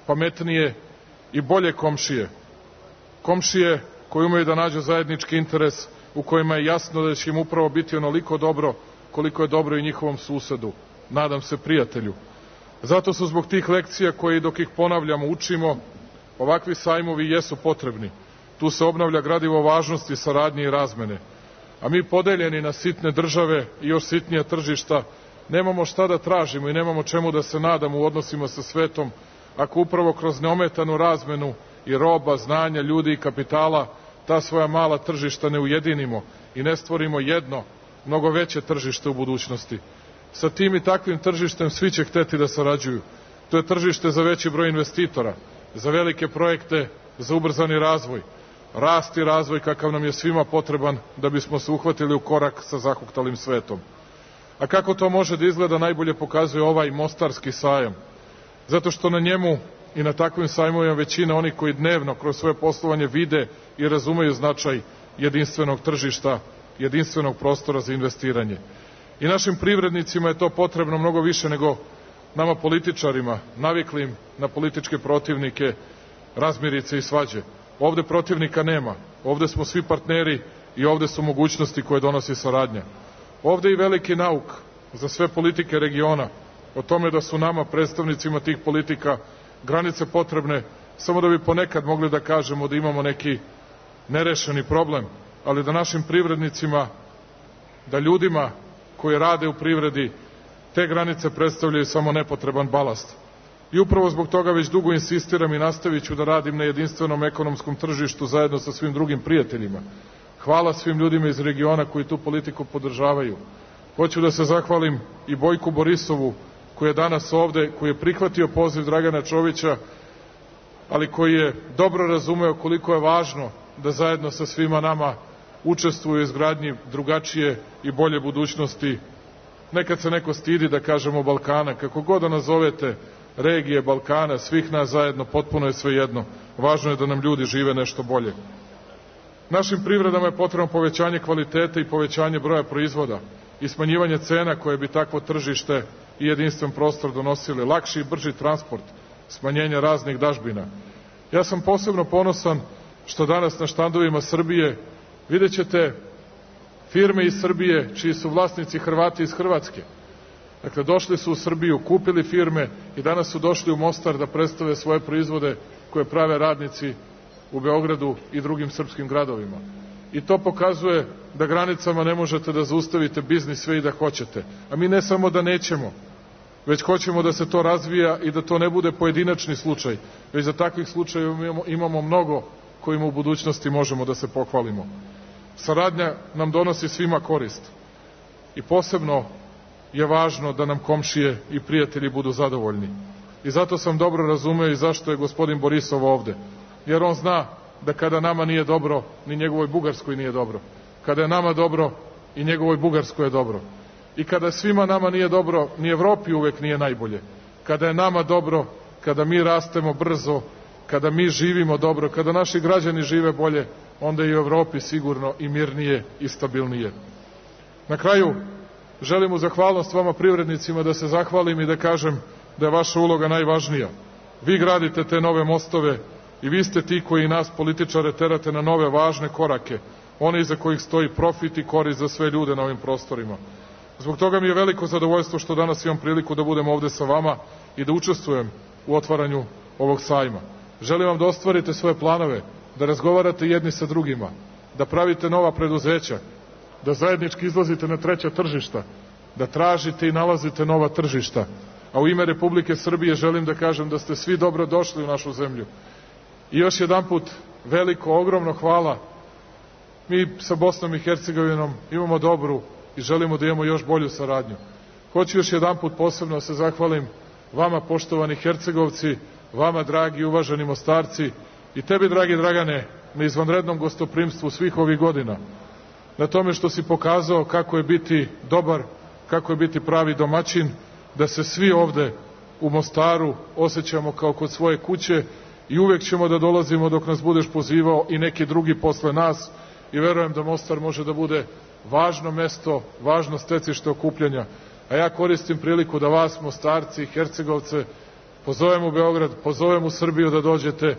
pametnije i bolje komšije. Komšije koji umeju da nađu zajednički interes u kojima je jasno da će im upravo biti onoliko dobro koliko je dobro i njihovom susedu, nadam se prijatelju. Zato su zbog tih lekcija koje dok ih ponavljamo, učimo, ovakvi sajmovi jesu potrebni. Tu se obnavlja gradivo važnosti, saradnje i razmene. A mi podeljeni na sitne države i još sitnija tržišta nemamo šta da tražimo i nemamo čemu da se nadamo u odnosima sa svetom ako upravo kroz neometanu razmenu i roba, znanja, ljudi i kapitala ta svoja mala tržišta ne ujedinimo i ne stvorimo jedno, mnogo veće tržište u budućnosti. Sa tim i takvim tržištem svi će hteti da sarađuju. To je tržište za veći broj investitora, za velike projekte, za ubrzani razvoj, rast i razvoj kakav nam je svima potreban da bismo se uhvatili u korak sa zahuktalim svetom. A kako to može da izgleda najbolje pokazuje ovaj mostarski sajam. Zato što na njemu i na takvim sajmovima većina onih koji dnevno kroz svoje poslovanje vide i razumeju značaj jedinstvenog tržišta, jedinstvenog prostora za investiranje. I našim privrednicima je to potrebno mnogo više nego nama političarima, naviklim na političke protivnike, razmirice i svađe. Ovde protivnika nema, ovde smo svi partneri i ovde su mogućnosti koje donosi saradnja. Ovde i veliki nauk za sve politike regiona o tome da su nama, predstavnicima tih politika, granice potrebne samo da bi ponekad mogli da kažemo da imamo neki nerešeni problem, ali da našim privrednicima, da ljudima koji rade u privredi, te granice predstavljaju samo nepotreban balast. I upravo zbog toga već dugo insistiram i nastavit ću da radim na jedinstvenom ekonomskom tržištu zajedno sa svim drugim prijateljima. Hvala svim ljudima iz regiona koji tu politiku podržavaju. Hoću da se zahvalim i Bojku Borisovu koji je danas ovde, koji je prihvatio poziv Dragana Čovića, ali koji je dobro razumeo koliko je važno da zajedno sa svima nama učestvuju u izgradnji drugačije i bolje budućnosti. Nekad se neko stidi da kažemo Balkana, kako god da nazovete regije Balkana, svih nas zajedno, potpuno je svejedno. Važno je da nam ljudi žive nešto bolje. Našim privredama je potrebno povećanje kvaliteta i povećanje broja proizvoda i smanjivanje cena koje bi takvo tržište i jedinstven prostor donosili, lakši i brži transport, smanjenje raznih dažbina. Ja sam posebno ponosan što danas na štandovima Srbije vidjet ćete firme iz Srbije čiji su vlasnici Hrvati iz Hrvatske. Dakle, došli su u Srbiju, kupili firme i danas su došli u Mostar da predstave svoje proizvode koje prave radnici u Beogradu i drugim srpskim gradovima. I to pokazuje da granicama ne možete da zaustavite biznis sve i da hoćete. A mi ne samo da nećemo, već hoćemo da se to razvija i da to ne bude pojedinačni slučaj, već za takvih slučajeva imamo, imamo mnogo kojima u budućnosti možemo da se pohvalimo. Saradnja nam donosi svima korist i posebno je važno da nam komšije i prijatelji budu zadovoljni. I zato sam dobro razumeo i zašto je gospodin Borisov ovde. Jer on zna da kada nama nije dobro, ni njegovoj Bugarskoj nije dobro. Kada je nama dobro, i njegovoj Bugarskoj je dobro. I kada svima nama nije dobro, ni Evropi uvek nije najbolje. Kada je nama dobro, kada mi rastemo brzo, kada mi živimo dobro, kada naši građani žive bolje, onda i u Evropi sigurno i mirnije i stabilnije. Na kraju, želim u zahvalnost vama privrednicima da se zahvalim i da kažem da je vaša uloga najvažnija. Vi gradite te nove mostove i vi ste ti koji nas političare terate na nove važne korake, one iza kojih stoji profit i korist za sve ljude na ovim prostorima. Zbog toga mi je veliko zadovoljstvo što danas imam priliku da budem ovde sa vama i da učestvujem u otvaranju ovog sajma. Želim vam da ostvarite svoje planove, da razgovarate jedni sa drugima, da pravite nova preduzeća, da zajednički izlazite na treća tržišta, da tražite i nalazite nova tržišta. A u ime Republike Srbije želim da kažem da ste svi dobro došli u našu zemlju. I još jedanput veliko, ogromno hvala. Mi sa Bosnom i Hercegovinom imamo dobru i želimo da imamo još bolju saradnju. Hoću još jedanput posebno se zahvalim vama, poštovani Hercegovci, vama, dragi i uvaženi Mostarci, i tebi, dragi Dragane, na izvanrednom gostoprimstvu svih ovih godina, na tome što si pokazao kako je biti dobar, kako je biti pravi domaćin, da se svi ovde u Mostaru osjećamo kao kod svoje kuće i uvek ćemo da dolazimo dok nas budeš pozivao i neki drugi posle nas i verujem da Mostar može da bude važno mesto, važno stecište okupljanja. A ja koristim priliku da vas, Mostarci i Hercegovce, pozovem u Beograd, pozovem u Srbiju da dođete,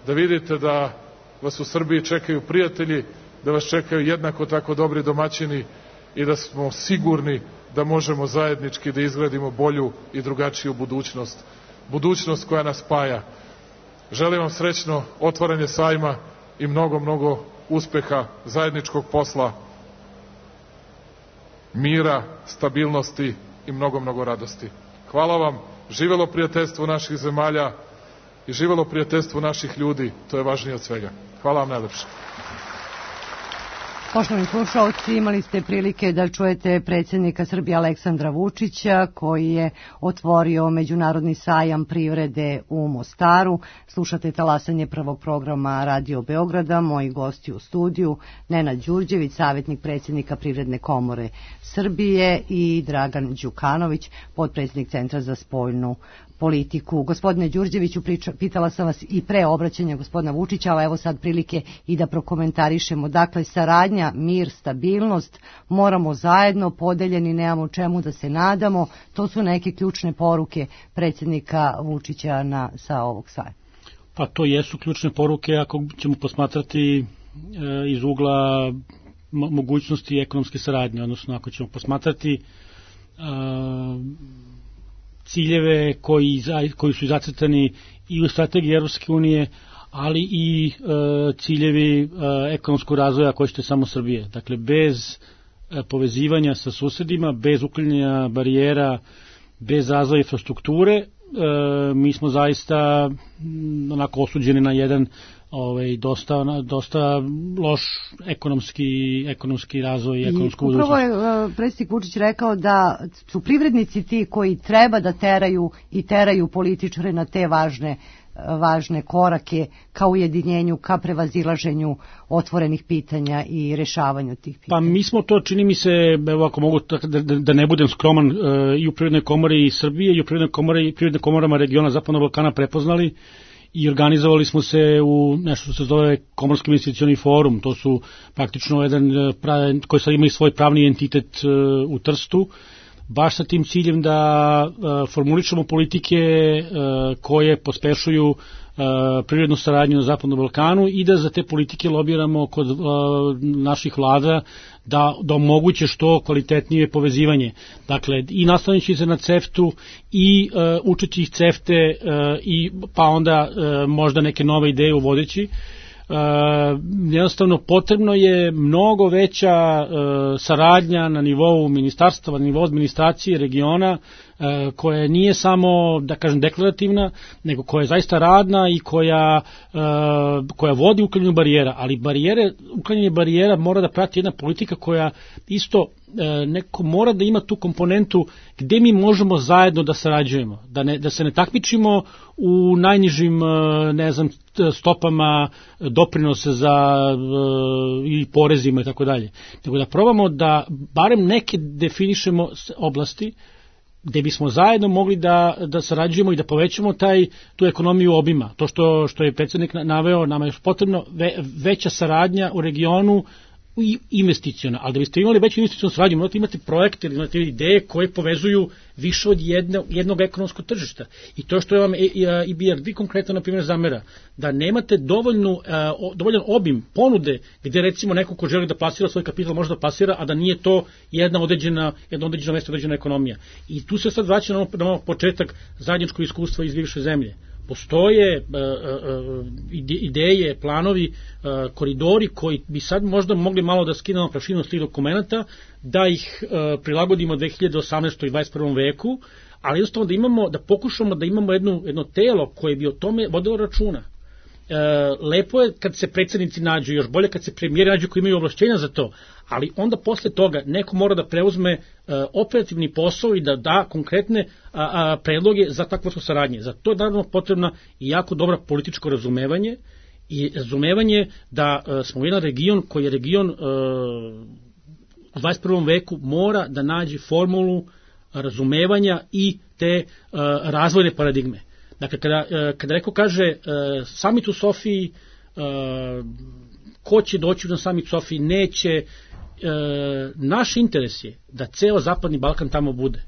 da vidite da vas u Srbiji čekaju prijatelji, da vas čekaju jednako tako dobri domaćini i da smo sigurni da možemo zajednički da izgradimo bolju i drugačiju budućnost. Budućnost koja nas spaja. Želim vam srećno otvaranje sajma i mnogo, mnogo uspeha, zajedničkog posla, mira, stabilnosti i mnogo, mnogo radosti. Hvala vam, živelo prijateljstvo naših zemalja i živelo prijateljstvo naših ljudi, to je važnije od svega. Hvala vam najlepše. Poštovani slušalci, imali ste prilike da čujete predsjednika Srbije Aleksandra Vučića koji je otvorio Međunarodni sajam privrede u Mostaru. Slušate talasanje prvog programa Radio Beograda. Moji gosti u studiju Nenad Đurđević, savjetnik predsjednika Privredne komore Srbije, i Dragan Đukanović, potpredsjednik Centra za spoljnu politiku. Gospodine Đurđeviću, priča, pitala sam vas i pre obraćanja gospodina Vučića, ali evo sad prilike i da prokomentarišemo. Dakle, saradnja, mir, stabilnost, moramo zajedno, podeljeni, nemamo čemu da se nadamo. To su neke ključne poruke predsjednika Vučića na, sa ovog sajma. Pa to jesu ključne poruke ako ćemo posmatrati e, iz ugla mogućnosti ekonomske saradnje, odnosno ako ćemo posmatrati e, ciljeve koji, koji su zacrtani i u strategiji Evropske unije, ali i e, ciljevi e, ekonomskog razvoja koji ćete samo Srbije. Dakle, bez e, povezivanja sa susedima, bez uklanjanja barijera, bez razvoja infrastrukture, e, mi smo zaista m, onako osuđeni na jedan ovaj, dosta, dosta loš ekonomski, ekonomski razvoj i ekonomsku budućnost. Upravo je uh, predsjednik Vučić rekao da su privrednici ti koji treba da teraju i teraju političare na te važne, važne korake ka ujedinjenju, ka prevazilaženju otvorenih pitanja i rešavanju tih pitanja. Pa mi smo to, čini mi se, evo ako mogu da, da ne budem skroman, uh, i u Privrednoj komori Srbije i u Privrednoj komori i Privrednim komorama regiona Zapadnog Balkana prepoznali i organizovali smo se u nešto što se zove Komorski investicioni forum. To su praktično jedan pravi, koji sad ima i svoj pravni entitet uh, u Trstu, baš sa tim ciljem da uh, formulišemo politike uh, koje pospešuju uh, privrednu saradnju na Zapadnom Balkanu i da za te politike lobiramo kod uh, naših vlada da, da omoguće što kvalitetnije povezivanje. Dakle, i nastavnići se na CEFTA-u i uh, učeći ih CEFTA-e uh, i pa onda uh, možda neke nove ideje uvodeći. Uh, jednostavno potrebno je mnogo veća uh, saradnja na nivou ministarstva, na nivou administracije regiona, uh, koja nije samo, da kažem, deklarativna, nego koja je zaista radna i koja, uh, koja vodi uklanjanju barijera, ali barijere, uklanjanje barijera mora da prati jedna politika koja isto neko mora da ima tu komponentu gde mi možemo zajedno da sarađujemo, da, ne, da se ne takmičimo u najnižim, ne znam, stopama doprinose za i porezima i tako dalje, nego da probamo da barem neke definišemo oblasti gde bismo zajedno mogli da, da sarađujemo i da povećamo taj, tu ekonomiju obima. To što, što je predsjednik naveo, nama je potrebno ve, veća saradnja u regionu i investiciona, ali da biste imali veću investicionu saradnju, morate imati projekte ili imate ideje koje povezuju više od jedne, jednog ekonomskog tržišta. I to što je vam E B R D konkretno, na primjer, zamera, da nemate dovoljnu, dovoljan obim ponude gde recimo neko ko želi da plasira svoj kapital može da plasira, a da nije to jedna određena, jedna određena mesta, određena ekonomija. I tu se sad vraća na, na početak zajedničkog iskustva iz bivše zemlje. Postoje uh, uh, ideje, planovi, uh, koridori koji bi sad možda mogli malo da skinemo prašinu s tih dokumenta, da ih uh, prilagodimo dve hiljade osamnaestom i dvadeset prvom veku, ali jednostavno da imamo, da pokušamo da imamo jedno, jedno telo koje bi o tome vodilo računa. Uh, lepo je kad se predsjednici nađu, još bolje kad se premijeri nađu koji imaju ovlašćenja za to, ali onda posle toga neko mora da preuzme uh, operativni posao i da da konkretne uh, uh, predloge za takvu saradnje. Za to je naravno potrebna i jako dobra političko razumevanje i razumevanje da uh, smo jedan region koji je region uh, u dvadeset prvom veku mora da nađe formulu razumevanja i te uh, razvojne paradigme. Dakle, kada, kada neko kaže samit u Sofiji, ko će doći na samit u Sofiji, neće, naš interes je da ceo Zapadni Balkan tamo bude.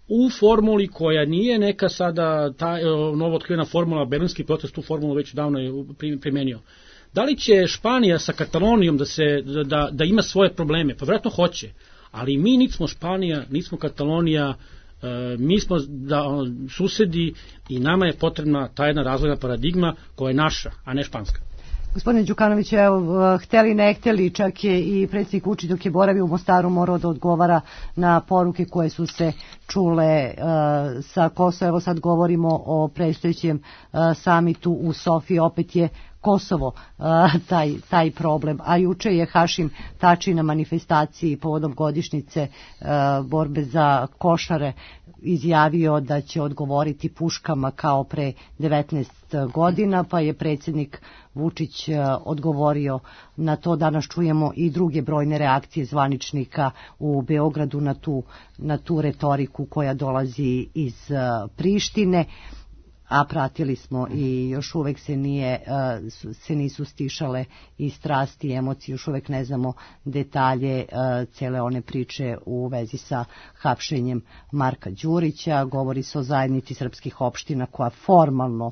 U formuli koja nije neka sada ta novo otkrivena formula, berlinski proces tu formulu već davno je primenio. Da li će Španija sa Katalonijom da, se, da, da ima svoje probleme? Pa vjerojatno hoće, ali mi nismo Španija, nismo Katalonija, mi smo da, susedi i nama je potrebna ta jedna razvojna paradigma koja je naša, a ne španska. Gospodine Đukanović, evo, hteli ne hteli, čak je i predsjednik Vučić dok je boravio u Mostaru morao da odgovara na poruke koje su se čule uh, sa Kosova. Evo sad govorimo o predstojećem uh, samitu u Sofiji, opet je Kosovo uh, taj, taj problem. A juče je Hašim Tači na manifestaciji povodom godišnjice uh, borbe za Košare izjavio da će odgovoriti puškama kao pre devetnaest godina, pa je predsjednik Vučić uh, odgovorio na to. Danas čujemo i druge brojne reakcije zvaničnika u Beogradu na tu, na tu retoriku koja dolazi iz uh, Prištine. A pratili smo i još uvek se nije se nisu stišale i strasti i emocije, još uvek ne znamo detalje cele one priče u vezi sa hapšenjem Marka Đurića. Govori se o zajednici srpskih opština koja formalno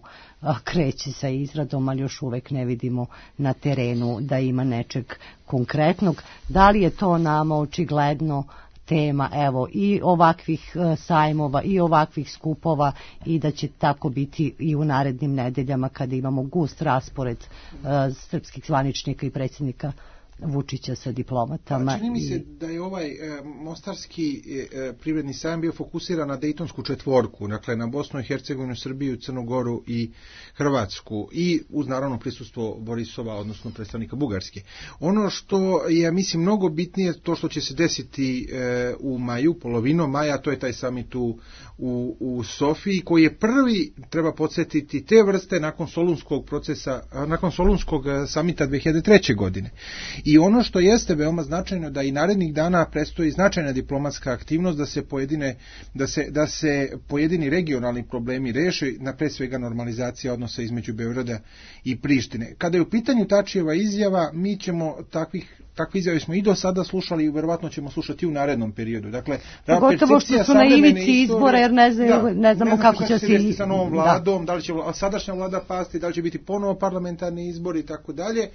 kreće sa izradom, ali još uvek ne vidimo na terenu da ima nečeg konkretnog. Da li je to nama očigledno tema, evo, i ovakvih sajmova i ovakvih skupova, i da će tako biti i u narednim nedeljama kada imamo gust raspored uh, srpskih zvaničnika i predsjednika Vučića sa diplomatama. Pa, čini mi se i... da je ovaj e, mostarski e, privredni sajam bio fokusiran na Dejtonsku četvorku, dakle na Bosnu i Hercegovinu, Srbiju, Crnu Goru i Hrvatsku, i uz naravno prisustvo Borisova, odnosno predstavnika Bugarske. Ono što je, ja mislim, mnogo bitnije, to što će se desiti e, u maju, polovinom maja, to je taj samit u, u, u Sofiji, koji je prvi, treba podsjetiti, te vrste nakon Solunskog procesa, nakon Solunskog samita dve hiljade treće. godine. I ono što jeste veoma značajno, da i narednih dana predstoji značajna diplomatska aktivnost da se pojedine da se da se pojedini regionalni problemi reše, na pre svega normalizacija odnosa između Beograda i Prištine. Kada je u pitanju Tačijeva izjava, mi ćemo takvih takve izjave smo i do sada slušali i verovatno ćemo slušati u narednom periodu. Dakle, pogotovo što su na ivici izbora, jer ne znaju, da, ne znamo ne kako će se desiti sa novom vladom, da. da li će sadašnja vlada pasti, da li će biti ponovo parlamentarni izbori i tako dalje,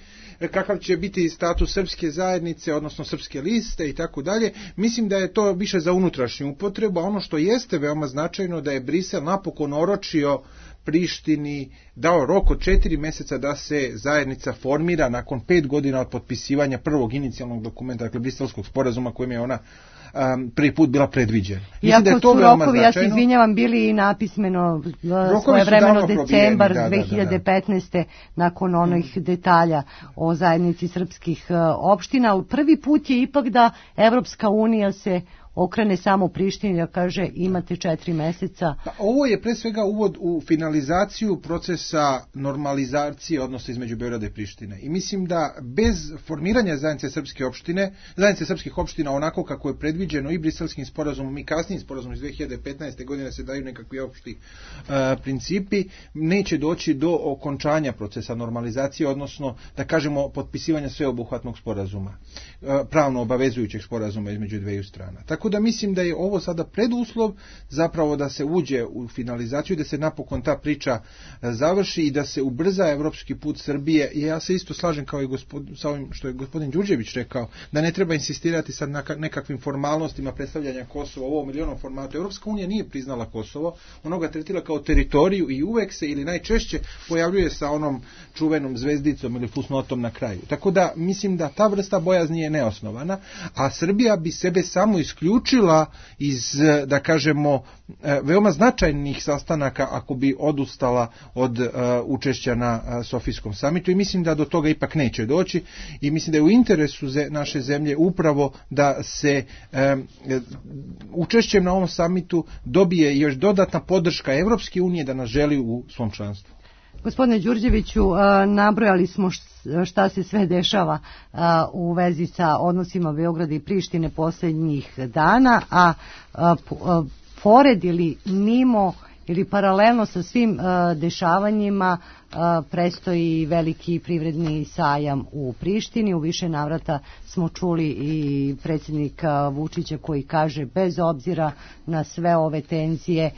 kakav će biti status srpske zajednice, odnosno srpske liste i tako dalje. Mislim da je to više za unutrašnju upotrebu, a ono što jeste veoma značajno, da je Brisel napokon oročio Prištini, dao rok od četiri meseca da se zajednica formira nakon pet godina od potpisivanja prvog inicijalnog dokumenta, dakle Briselskog sporazuma, kojim je ona um, prvi put bila predviđena. Iako je to su rokovi, ja se izvinjavam, bili i napismeno svoje vremeno decembar da, dve hiljade petnaeste. Da, da, da. Nakon onih hmm. detalja o zajednici srpskih uh, opština, ali prvi put je ipak da Evropska unija se okrene samo Prištini, da kaže imate četiri meseca. Pa, ovo je pre svega uvod u finalizaciju procesa normalizacije odnosa između Beograda i Prištine. I mislim da bez formiranja zajednice srpske opštine, zajednice srpskih opština onako kako je predviđeno i Briselskim sporazumom i kasnijim sporazumom iz dve hiljade petnaeste. godine se daju nekakvi opšti uh, principi, neće doći do okončanja procesa normalizacije, odnosno da kažemo potpisivanja sveobuhvatnog sporazuma, uh, pravno obavezujućeg sporazuma između dveju strana. Tako da mislim da je ovo sada preduslov zapravo da se uđe u finalizaciju, da se napokon ta priča završi i da se ubrza evropski put Srbije. I ja se isto slažem kao i gospod, sa ovim što je gospodin Đurđević rekao, da ne treba insistirati sad na nekakvim formalnostima predstavljanja Kosova u ovom ili onom formatu. Evropska unija nije priznala Kosovo, ona ga tretira kao teritoriju i uvek se ili najčešće pojavljuje sa onom čuvenom zvezdicom ili fusnotom na kraju. Tako da mislim da ta vrsta bojazni je neosnovana, a Srbija bi sebe samo isključila učila iz, da kažemo, veoma značajnih sastanaka ako bi odustala od uh, učešća na uh, Sofijskom samitu, i mislim da do toga ipak neće doći, i mislim da je u interesu ze, naše zemlje upravo da se um, učešćem na ovom samitu dobije još dodatna podrška Evropske unije da nas želi u svom članstvu. Gospodine Đurđeviću, nabrojali smo šta se sve dešava u vezi sa odnosima Beograda i Prištine posljednjih dana, a pored ili mimo ili paralelno sa svim uh, dešavanjima uh, prestoji veliki privredni sajam u Prištini. U više navrata smo čuli i predsjednika Vučića koji kaže bez obzira na sve ove tenzije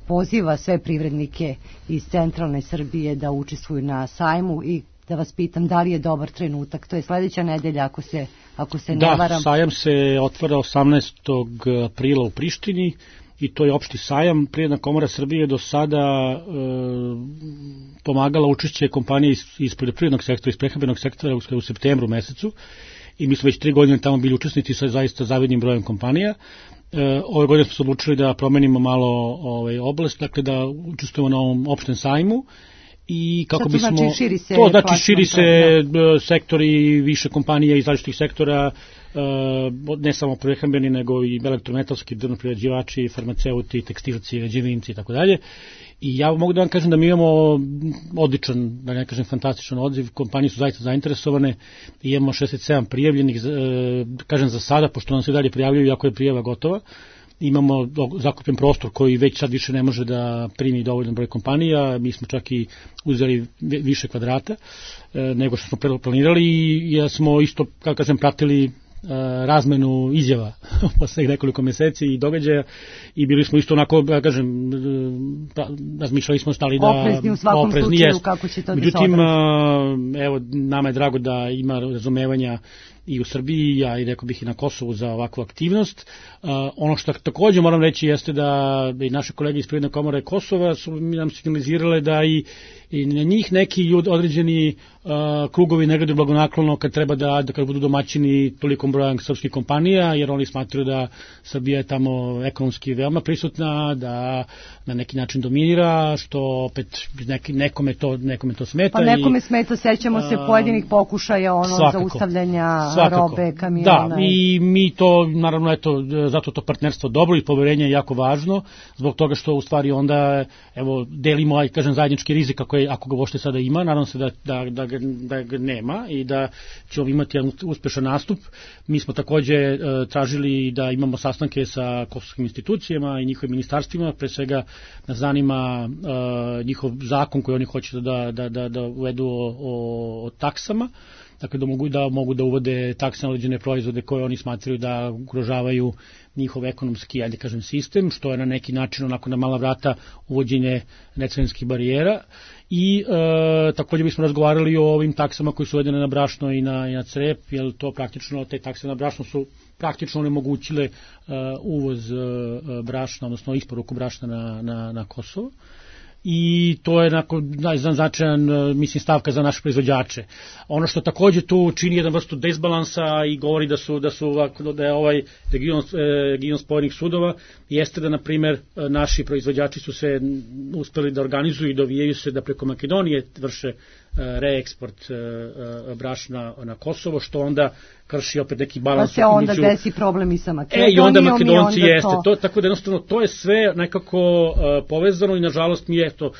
poziva sve privrednike iz centralne Srbije da učestvuju na sajmu i da vas pitam da li je dobar trenutak. To je sledeća nedelja ako se, ako se ne varam. Da, sajam se otvara osamnaestog aprila u Prištini i to je opšti sajam. Privredna komora Srbije do sada e, pomagala učešće kompanije iz, iz poljoprivrednog sektora, iz prehrambenog sektora u, u septembru mesecu i mi smo već tri godine tamo bili učesnici sa zaista zavidnim brojem kompanija. E, ove godine smo se odlučili da promenimo malo ovaj, oblast, dakle da učestvujemo na ovom opštem sajmu. I kako to bismo znači širi se, to znači širi se da. sektori, više kompanija iz različitih sektora, ne samo prehrambeni nego i elektrometalski, drvnoprerađivači, farmaceuti, tekstilci, građevinci i tako dalje. I ja mogu da vam kažem da mi imamo odličan, da ne kažem fantastičan odziv, kompanije su zaista zainteresovane, imamo šezdeset sedam prijavljenih, kažem za sada, pošto nam se dalje prijavljuju, iako je prijava gotova. Imamo zakupljen prostor koji već sad više ne može da primi dovoljan broj kompanija, mi smo čak i uzeli više kvadrata e, nego što smo planirali i ja smo isto, kako kažem, pratili e, razmenu izjava posle nekoliko meseci i događaja i bili smo isto onako, ja kažem, pra, razmišljali smo stali da oprezni u svakom oprezni slučaju jest. Kako će to Međutim, da se odrazi. Evo, nama je drago da ima razumevanja i u Srbiji, a i rekao bih i na Kosovu za ovakvu aktivnost. Uh, ono što takođe moram reći jeste da i naše kolege iz Privredne komore Kosova su nam signalizirale da i, i na njih neki ljudi, određeni uh, krugovi ne gledaju blagonaklono kad treba da, da kad budu domaćini tolikom brojem srpskih kompanija, jer oni smatruju da Srbija je tamo ekonomski veoma prisutna, da na neki način dominira, što opet neki, nekome, to, nekome to smeta. Pa nekome i, smeta, sećamo se pojedinih pokušaja ono svakako, zaustavljanja svakako. robe, kamiona. Da, i mi to, naravno, eto, zato to partnerstvo dobro i poverenje je jako važno, zbog toga što u stvari onda, evo, delimo, aj kažem, zajednički rizik ako, je, ako ga uopšte sada ima, nadam se da, da, da, ga, da ga nema i da ćemo imati jedan uspešan nastup. Mi smo takođe e, tražili da imamo sastanke sa kosovskim institucijama i njihovim ministarstvima, pre svega nas zanima e, njihov zakon koji oni hoće da, da, da, da uvedu o, o, o taksama, dakle da mogu da mogu da uvode takse na određene proizvode koje oni smatraju da ugrožavaju njihov ekonomski, ajde kažem, sistem, što je na neki način onako na mala vrata uvođenje necarinskih barijera. I e, takođe bismo razgovarali o ovim taksama koji su uvedene na brašno i na, i na crep, jer to praktično, te takse na brašno su praktično onemogućile e, uvoz e, brašna, odnosno isporuku brašna na, na, na Kosovo. I to je značajan, mislim, stavka za naše proizvođače. Ono što takođe tu čini jedan vrstu desbalansa i govori da su da su da je ovaj region region spojenih sudova jeste da, na primer, naši proizvođači su se uspeli da organizuju i dovijaju se da preko Makedonije vrše reeksport brašna na Kosovo, što onda krši opet neki balans. Pa se onda između... desi problem i sa Makedonijom. E, i onda Makedonci i onda jeste. To... To, tako da jednostavno to je sve nekako uh, povezano i nažalost mi je to, uh,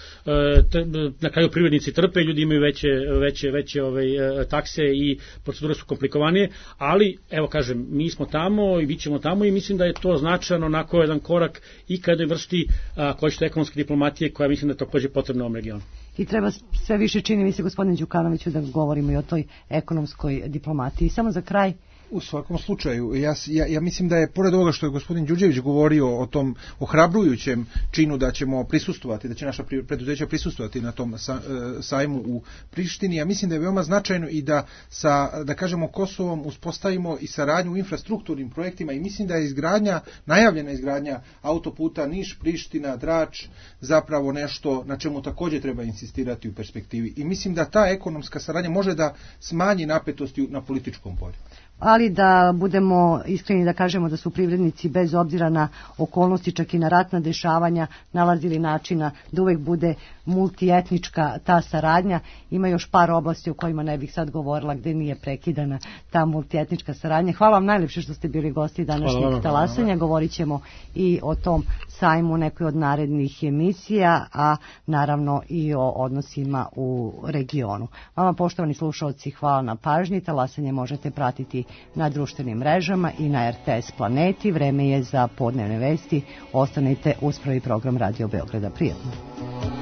t, na kraju privrednici trpe, ljudi imaju veće, veće, veće ovaj, uh, takse i procedure su komplikovanije, ali evo kažem, mi smo tamo i bit ćemo tamo i mislim da je to značajno onako jedan korak i kada je vrsti uh, koji što ekonomske diplomatije koja mislim da je takođe potrebna u ovom regionu. I treba sve više, čini mi se, gospodine Đukanoviću, da govorimo i o toj ekonomskoj diplomatiji. Samo za kraj. U svakom slučaju, ja, ja, ja mislim da je, pored ovoga što je gospodin Đurđević govorio o tom ohrabrujućem činu da ćemo prisustvovati, da će naša preduzeća prisustvovati na tom sa, e, sajmu u Prištini, ja mislim da je veoma značajno i da sa, da kažemo, Kosovom uspostavimo i saradnju u infrastrukturnim projektima i mislim da je izgradnja, najavljena izgradnja autoputa Niš-Priština, Drač, zapravo nešto na čemu takođe treba insistirati u perspektivi. I mislim da ta ekonomska saradnja može da smanji napetosti na političkom polju. Ali da budemo iskreni da kažemo da su privrednici bez obzira na okolnosti, čak i na ratna dešavanja, nalazili načina da uvek bude multietnička ta saradnja. Ima još par oblasti o kojima ne bih sad govorila gde nije prekidana ta multietnička saradnja. Hvala vam najlepše što ste bili gosti današnjeg talasanja. Govorit ćemo i o tom sajmu nekoj od narednih emisija, a naravno i o odnosima u regionu. Vama, poštovani slušalci, hvala na pažnji. Talasanje možete pratiti na društvenim mrežama i na R T S Planeti. Vreme je za podnevne vesti. Ostanite uz prvi program Radio Beograda. Prijatno.